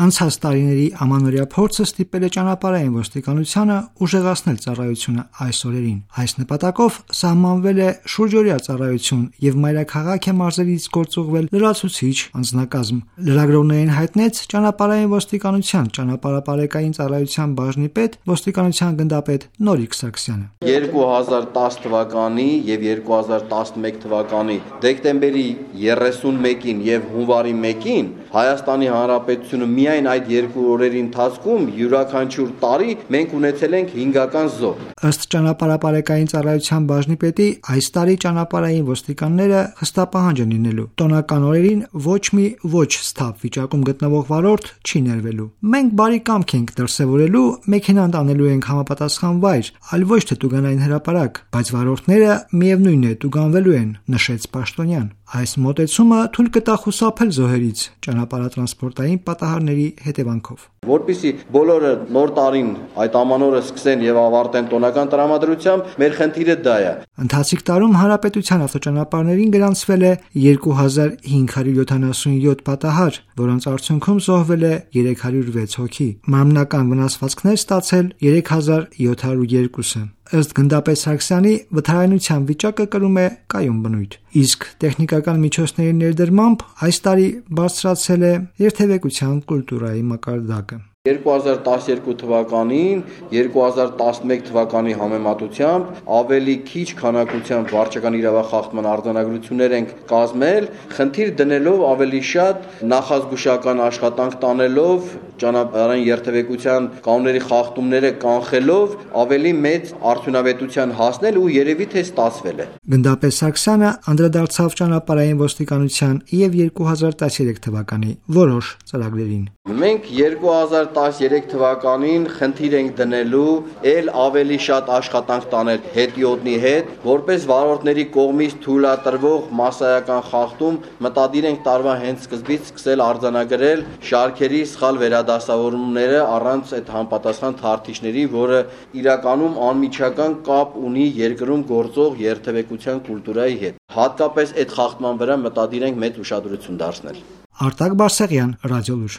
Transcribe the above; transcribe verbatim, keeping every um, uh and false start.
Անցած տարիների ամանորյա փորձը ստիպել է ճանապարհային ոստիկանությանը ուժեղացնել ծառայությունը այս օրերին։ Այս նպատակով սահմանվել է շուրջօրյա ծառայություն եւ մայրաքաղաք է մարզերից գործուղվել լրացուցիչ անձնակազմ։ Լրագրողներին հայտնեց ճանապարհային ոստիկանության ճանապարհապարեկային ծառայության բաժնի պետ ոստիկանության գնդապետ Նորիկ Սարգսյանը։ երկու հազար տասը թվականի եւ երկու հազար տասնմեկ թվականի դեկտեմբերի երեսունմեկին եւ հունվարի մեկին Հայաստանի Հանրապետությունը միայն այդ երկու օրերի ընթացքում յուրաքանչյուր տարի մենք ունեցել ենք հինգական զոհ։ Ըստ ճանապարհապարեկային ծառայության բաժնի պետի, այս տարի ճանապարհային ոստիկանները խստապահանջ են լինելու։ Տոնական օրերին ոչ մի ոչ սթափ վիճակում գտնվող վարորդ չի ներվելու։ Մենք բարի կամք ենք դրսևորելու, մեքենան տանելու ենք համապատասխան վայր, այլ ոչ թե տուգանային հրապարակ, բայց վարորդները միևնույն է տուգանվելու են, նշեց Պաշտոնյան։ Այս մոտեցումը թույլ կտա խուսափել զոհերից ճանապարհատրանսպորտային պատահարների հետևանքով։ Որպեսզի բոլորը նոր տարին այդ ամանորը սկսեն եւ ավարտեն տոնական տրամադրությամբ, մեր խնդիրը դա է։ Ընթացիկ տարում հանրապետության ավտոճանապարհներին գրանցվել է երկու հազար հինգ հարյուր յոթանասունյոթ պատահար, որոնց արդյունքում զոհվել է երեք հարյուր վեց հոգի։ Մարմնական վնասվածքներ ստացել երեք հազար յոթ հարյուր երկուսը։ Ըստ գնդապետ Սարգսյանի, վթարայնության վիճակը կրում է կայուն բնույթ, իսկ տեխնիկական միջոցների ներդրմամբ այս տարի բարձրացել է երթևեկության կուլտուրայի մակարդակը։ երկու հազար տասներկու թվականին երկու հազար տասնմեկ թվականի համեմատությամբ ավելի քիչ քանակությամբ վարչական իրավախախտման արձանագրություններ ենք կազմել, խնդիր դնելով ավելի շատ նախազգուշական աշխատանք տանելով, ճանապարհային երթևեկության կանոնների խախտումները կանխելով ավելի մեծ արդյունավետության հասնել ու երևի թե ստացվել է։ Գնդապետ Սարգսյանը անդրադարձավ ճանապարհային ոստիկանության եւ երկու հազար տասներեք թվականի որոշ ծրագրերին։ Մենք երկու հազար տասներեք թվականին խնդիր ենք դնելու ել ավելի շատ աշխատանք տանել հետիոտնի հետ, որպես վարորդների կողմից թույլատրվող մասսայական խախտում մտադիր ենք տարվա հենց սկզբից սկսել արձանագրել շարքերի սխալ վերադասավորումները առանց այդ համապատասխան թարթիչների, որը իրականում անմիջական կապ ունի երկրում գործող երթևեկության կուլտուրայի հետ։ Հատկապես այդ խախտման վրա մտադիր ենք մեծ ուշադրություն դարձնել։ Արտակ Բարսեղյան, Ռադիոլուր։